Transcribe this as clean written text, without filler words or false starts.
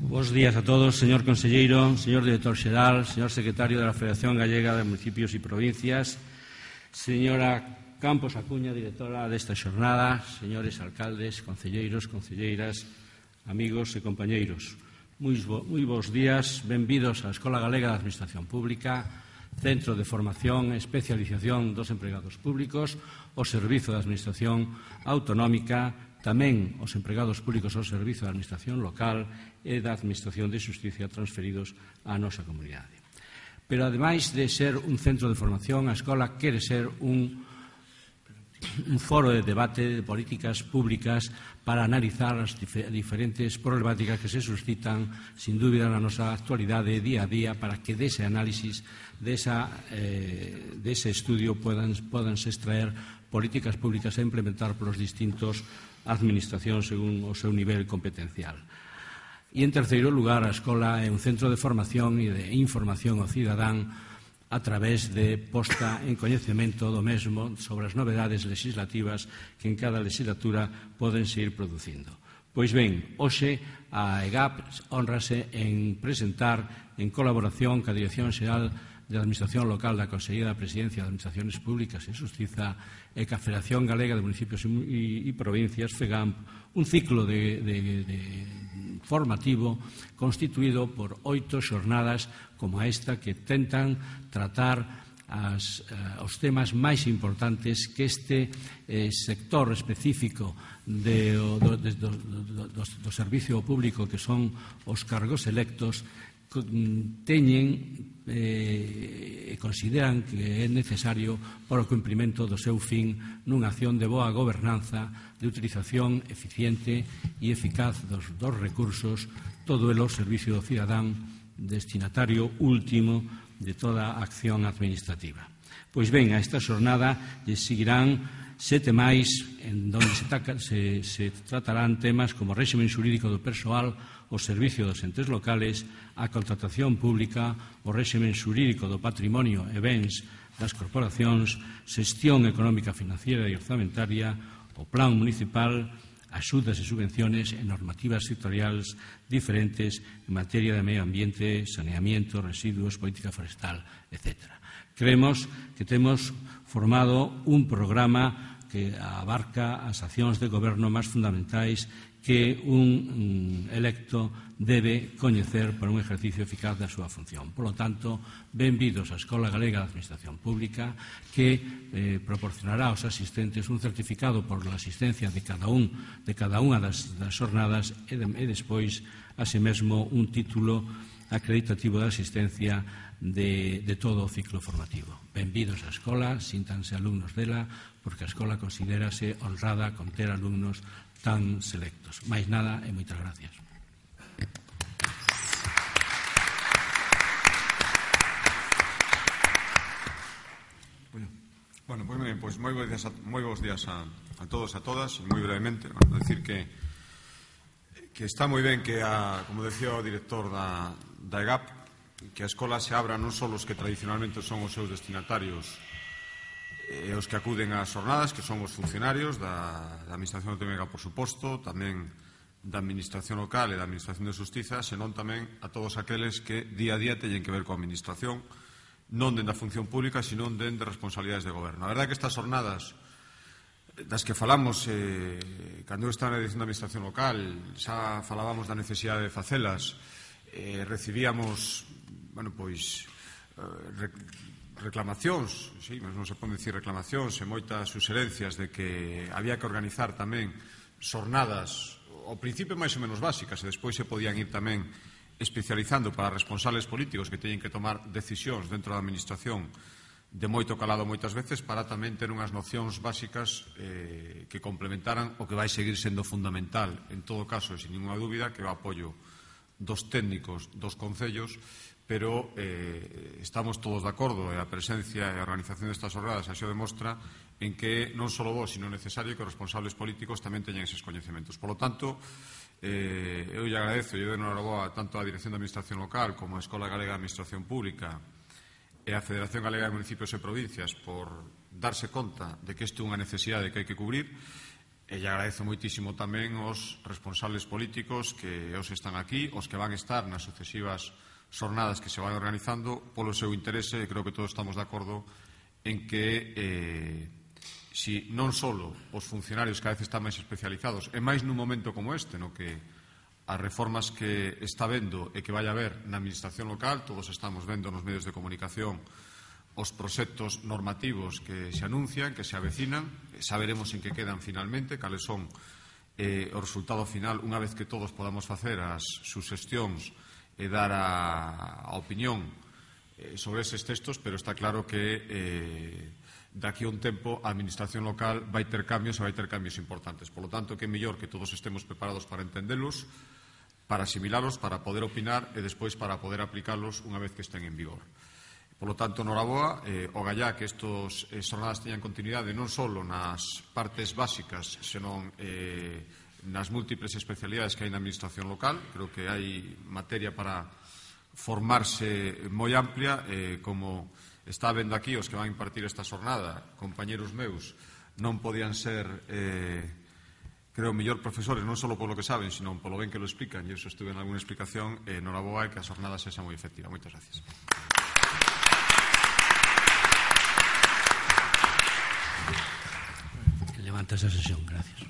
Bos días a todos, señor conselleiro, señor director xeral, señor secretario da Federación Gallega de Municipios e Provincias, señora Campos Acuña, directora desta xornada, señores alcaldes, concelleiros, concelleiras, amigos e compañeiros. Moi bons días, benvidos á Escola Galega de Administración Pública, Centro de Formación e Especialización dos Empregados Públicos, o Servizo de Administración Autonómica, tamén os empregados públicos ao Servizo de Administración Local e da Administración de Xusticia transferidos á nosa comunidade. Pero, ademais de ser un centro de formación, a escola quere ser un foro de debate de políticas públicas para analizar as diferentes problemáticas que se suscitan, sin dúbida, na nosa actualidade día a día, para que dese análisis, dese estudio, podanse extraer políticas públicas a implementar polos distintos administracións según o seu nivel competencial. E, en terceiro lugar, a escola é un centro de formación e de información ao cidadán a través de posta en coñecemento do mesmo sobre as novedades legislativas que en cada legislatura podense ir producindo. Pois ben, hoxe a EGAP honrase en presentar, en colaboración ca Dirección Xeral de Administración Local da Consellería da Presidencia de Administracións Públicas e Xustiza e ca Federación Galega de Municipios e Provincias, FEGAMP, un ciclo formativo constituído por 8 xornadas como esta que tentan tratar os temas máis importantes que este sector específico do servicio público, que son os cargos electos, teñen e consideran que é necesario para o cumprimento do seu fin nunha acción de boa gobernanza, de utilización eficiente e eficaz dos recursos, todo elo ao servicio do cidadán, destinatario último de toda a acción administrativa. Pois ben, a esta xornada lle seguirán 7 máis, en donde se tratarán temas como o réxime xurídico do persoal, o servicio dos entes locales, a contratación pública, o réxime xurídico do patrimonio e bens das corporacións, xestión económica, financiera e orzamentaria, o plan municipal, axudas e subvenciones e normativas sectoriais diferentes en materia de medio ambiente, saneamiento, residuos, política forestal, etc. Creemos que temos formado un programa que abarca as accións de goberno máis fundamentais que un electo debe coñecer para un exercicio eficaz da súa función. Por lo tanto, benvidos á Escola Galega de Administración Pública, que proporcionará aos asistentes un certificado por a asistencia de cada unha das xornadas e despois, así mesmo, un título acreditativo de asistencia de todo o ciclo formativo. Benvidos á escola, síntanse alumnos dela, porque a escola considérase honrada con ter alumnos tan selectos. Máis nada e moitas gracias. Bueno, pois moi bons días a todos e a todas, e moi brevemente, decir que está moi ben que, como decía o director da EGAP, que a escola se abra non só os que tradicionalmente son os seus destinatarios e os que acuden ás xornadas, que son os funcionarios da Administración Autonómica, por suposto, tamén da Administración Local e da Administración de Xustiza, senón tamén a todos aqueles que día a día teñen que ver coa Administración, non dende a función pública, senón dende responsabilidades de goberno. A verdade é que estas xornadas das que falamos cando eu estaba na Dirección da Administración Local, xa falábamos da necesidade de facelas, recibíamos reclamacións, non se pode dicir reclamacións, e moitas suxerencias de que había que organizar tamén xornadas ao principio máis ou menos básicas, e despois se podían ir tamén especializando para responsables políticos que teñen que tomar decisións dentro da administración de moito calado moitas veces, para tamén ter unhas nocións básicas que complementaran o que vai seguir sendo fundamental, en todo caso, sin ninguna dúbida, que é o apoio dos técnicos dos concellos, pero estamos todos de acordo, e a presencia e a organización destas xornadas así o demostra, en que non só vos, sino necesario que os responsables políticos tamén teñan eses coñecementos. Por lo tanto, eu lle agradezo, eu de noraboa tanto á Dirección de Administración Local como á Escola Galega de Administración Pública e á Federación Galega de Municipios e Provincias por darse conta de que isto é unha necesidade que hai que cubrir, E lle agradezo moitísimo tamén aos responsables políticos que hoxe están aquí, os que van estar nas sucesivas xornadas que se van organizando polo seu interese, e creo que todos estamos de acordo en que si non só os funcionarios cada vez están máis especializados, e máis nun momento como este, no que as reformas que está vendo e que vai haber na administración local, todos estamos vendo nos medios de comunicación os proxectos normativos que se anuncian, que se avecinan, saberemos en que quedan finalmente, cales son o resultado final unha vez que todos podamos facer as suxestións e dar a opinión sobre eses textos, pero está claro que daqui a un tempo a administración local vai ter cambios e vai ter cambios importantes. Por lo tanto, que é mellor que todos estemos preparados para entendelos, para asimilalos, para poder opinar e despois para poder aplicalos unha vez que estén en vigor. Por lo tanto, noraboa, ogallá que estos xornadas teñan continuidade non só nas partes básicas, senón nas múltiples especialidades que hai na administración local. Creo que hai materia para formarse moi amplia, como está vendo aquí os que van impartir esta xornada, compañeros meus, non podían ser, creo, mellor profesores, non só polo que saben, sino polo ben que lo explican, e iso estuve en alguna explicación, noraboa, e que a xornada sexa moi efectiva. Moitas gracias. Levanta esa sesión, gracias.